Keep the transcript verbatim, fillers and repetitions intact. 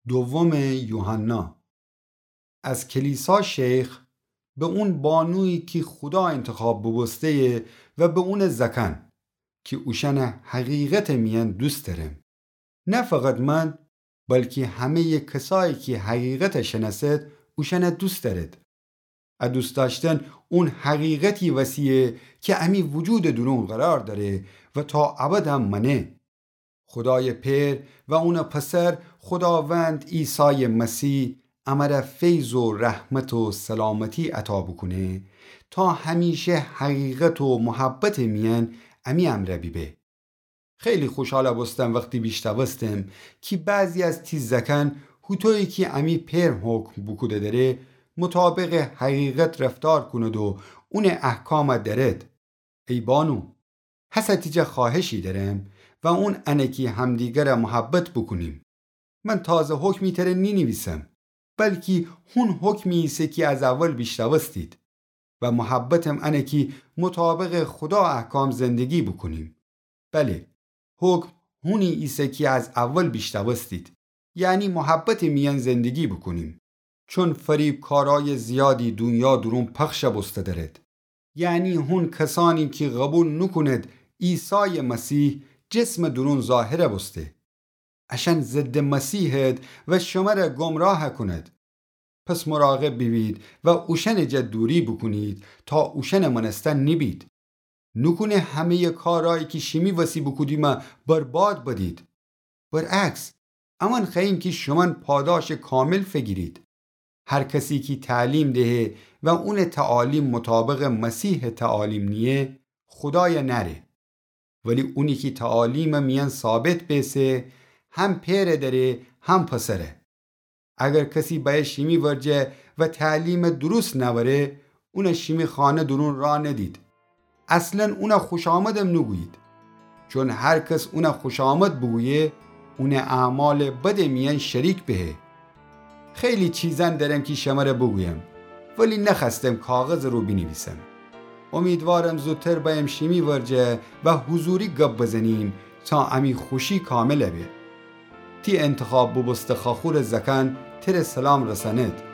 دومٚ یوحنا. از کلیسا شیخ، به اون بانویی کی خودا انتخاب بوبوسته‌یه و به اونٚ زأکأن، کی اوشأنَ حقیقتٚ میأن دوست دأرم. نه فقط من، بلکی همه‌یٚ کسایی کی حقیقتَ شنأسد، اوشأنَ دوست دأرد. ا دوست دأشتن اون حقیقتی وسی‌یه کی امی وجودٚ دورون قرار دأره و تا ابد هم مأنه. خودایٚ پئر و اونٚ پسر خوداوند عیسایٚ مسیح امره فیض و رحمت و سلامتی عطا بوکونه تا همیشه حقیقت و محبتٚ میأن امی امرأ بیبه. خیلی خوشحال بوستم وختی بیشنوستم کی بعضی از تی زأکأن هوطویی کی امی پئر حکم بوکوده دأره، مطابقٚ حقیقت رفتار کونید و اونٚ احکام دأرید. ای بانو، هسه تی جا خوأهشی دأرم و اون انه کی همدیگرَ محبت بوکونیم. من تازه حکمی تره نینیویسم، بلکی هون حکمی ایسه کی از اول بیشنوستید. و محبتم انه کی مطابقٚ خودا احکام زندگی بوکونیم. بله، حکم هونی ایسه کی از اول بیشنوستید، یعنی محبتٚ میأن زندگی بوکونیم. چون فریبکارأیٚ زیادی دونیا دورون پخش بوسته دأرد. یعنی هون کسأنی کی قوبیل نوکونید عیسایٚ مسیح جسمٚ دورون ظاهر بوسته. اشأن ضدٚ مسیحید و شمره گمراه کونید. پس مراقب بیبید و اوشأنٚ جا دوری بوکونید تا اوشأنٚ مأنستن نیبید. نوکونه همه‌یٚ کارأیی کی شیمی وسی بوکودیمه برباد بدید. برعکس، امأن خوأییم کی شومأن پاداشٚ کامل فیگیرید. هر کسی کی تعلیم دهه و اونٚ تعالیم مطابقٚ مسیحٚ تعالیم نییه، خودایَ نأره. ولی اونی کی تعالیمٚ میأن ثابت بیسه، هم پئرَ دأره، هم پسرَ. اگر کسی بأیه شیمی ورجه و تعلیمٚ درست نأوره، اونَ شیمی خانه دورون راه ندید. اصلاً اونَ خوشامدم نوگویید. چون هر کس اونَ خوشامد بوگویه، اونٚ اعمالٚ بدٚ میأن شریک بهه. خیلی چیزأن دأرم کی شمره بوگویم، ولی نخوأستم کاغذٚ رو بینیویسم. امیدوارم زودتر بأیم شیمی ورجه و حضوری گب بزنیم تا امی خوشی کامل به. تی انتخاب بوبوسته خواخورٚ زأکأن تره سلام رسأنید.